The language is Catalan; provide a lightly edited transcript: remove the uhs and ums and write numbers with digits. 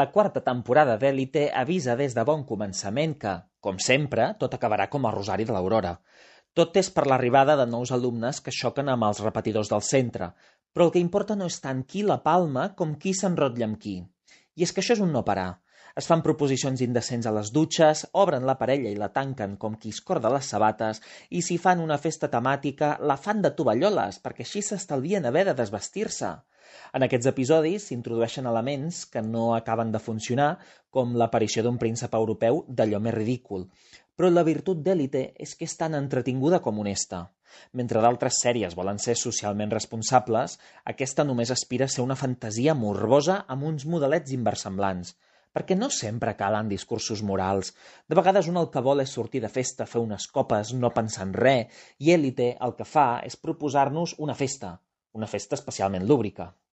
La quarta temporada d'Élite avisa des de bon començament que, com sempre, tot acabarà com el Rosari de l'Aurora. Tot és per l'arribada de nous alumnes que xoquen amb els repetidors del centre, però el que importa no és tant qui la palma com qui s'enrotlla amb qui. I és que això és un no parar. Es fan proposicions indecents a les dutxes, obren la parella i la tanquen com qui es corda les sabates, i si fan una festa temàtica, la fan de tovalloles, perquè així s'estalvien haver de desvestir-se. En aquests episodis s'introdueixen elements que no acaben de funcionar, com l'aparició d'un príncep europeu d'allò més ridícul. Però la virtut d'Élite és que és tan entretinguda com honesta. Mentre d'altres sèries volen ser socialment responsables, aquesta només aspira a ser una fantasia morbosa amb uns modelets inversemblants. Perquè no sempre calen discursos morals. De vegades un el que vol és sortir de festa, fer unes copes, no pensar en res, i Élite el que fa és proposar-nos una festa especialment lúbrica.